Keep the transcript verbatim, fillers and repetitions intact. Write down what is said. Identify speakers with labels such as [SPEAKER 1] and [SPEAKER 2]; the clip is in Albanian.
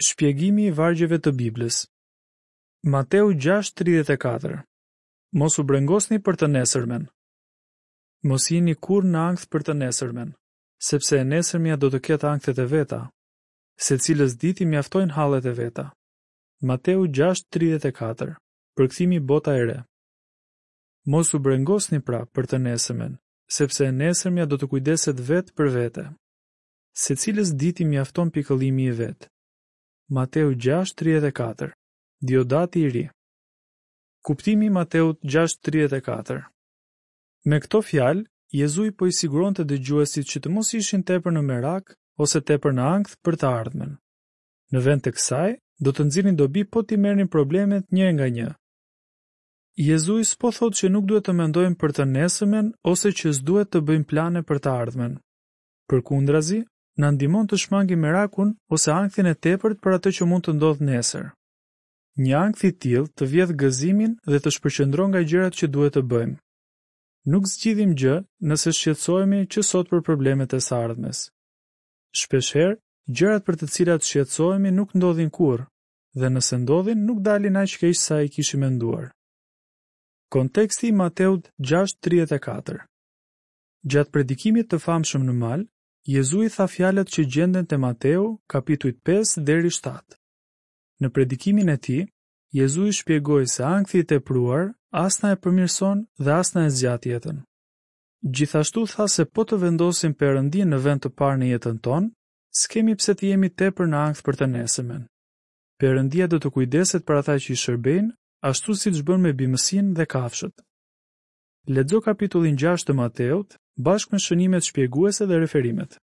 [SPEAKER 1] Shpjegimi i vargjeve të Biblës. Mateu gjashtë tridhjetë e katër. Mos u brengosni për të nesërmen. Mos jini kurrë në ankth për të nesërmen, sepse e nesërmja do të ketë ankthet e veta. Secilës ditë i mjaftojnë hallet e veta. Mateu gjashtë tridhjetë e katër. Përkthimi Bota e Re. Mos u brengosni pra për të nesërmen, sepse e nesërmja do të kujdeset vetë për vete. Secilës ditë i mjafton pikëllimi i vet. Mateu gjashtë tridhjetë e katër. Diodati i ri. Kuptimi i Mateut gjashtë tridhjetë e katër. Me këto fjalë, Jezui po i siguronte dëgjuesit që të mos ishin tepër në merak ose tepër në ankth për të ardhmen. Në vend të kësaj, do të nxirrnin dobi po t'i merrnin problemet një nga një. Jezui s'po thotë që nuk duhet të mendojmë për të nesërmen ose që s'duhet të bëjmë plane për të ardhmen. Përkundrazi, na ndihmon të shmangim merakun ose ankthin e tepërt për atë që mund të ndodhë nesër. Një ankth i tillë të vjedh gëzimin dhe të shpërqendron nga gjërat që duhet të bëjmë. Nuk zgjidhim gjë nëse shqetësohemi që sot për problemet e së ardhmes. Shpeshherë, gjërat për të cilat shqetësohemi nuk ndodhin kurrë, dhe nëse ndodhin, nuk dalin aq keq sa i kishim menduar. Konteksti i Mateut gjashtë tridhjetë e katër. Gjatë predikimit të famshëm në mal, Jezui tha fjalët që gjenden te Mateu, kapitujt pesë deri shtatë. Në predikimin e tij, Jezui shpjegoi se ankthi i tepruar as na e përmirëson dhe as na e zgjat jetën. Gjithashtu tha se po të vendosim Perëndin në vend të parë në jetën tonë, s'kemi pse të jemi tepër në ankth për të nesërmen. Perëndia do të kujdeset për ata që i shërbejnë, ashtu siç bën me bimësinë dhe kafshët. Lexo kapitullin gjashtë të Mateut, bashkë me shënimet shpjeguese dhe referimet.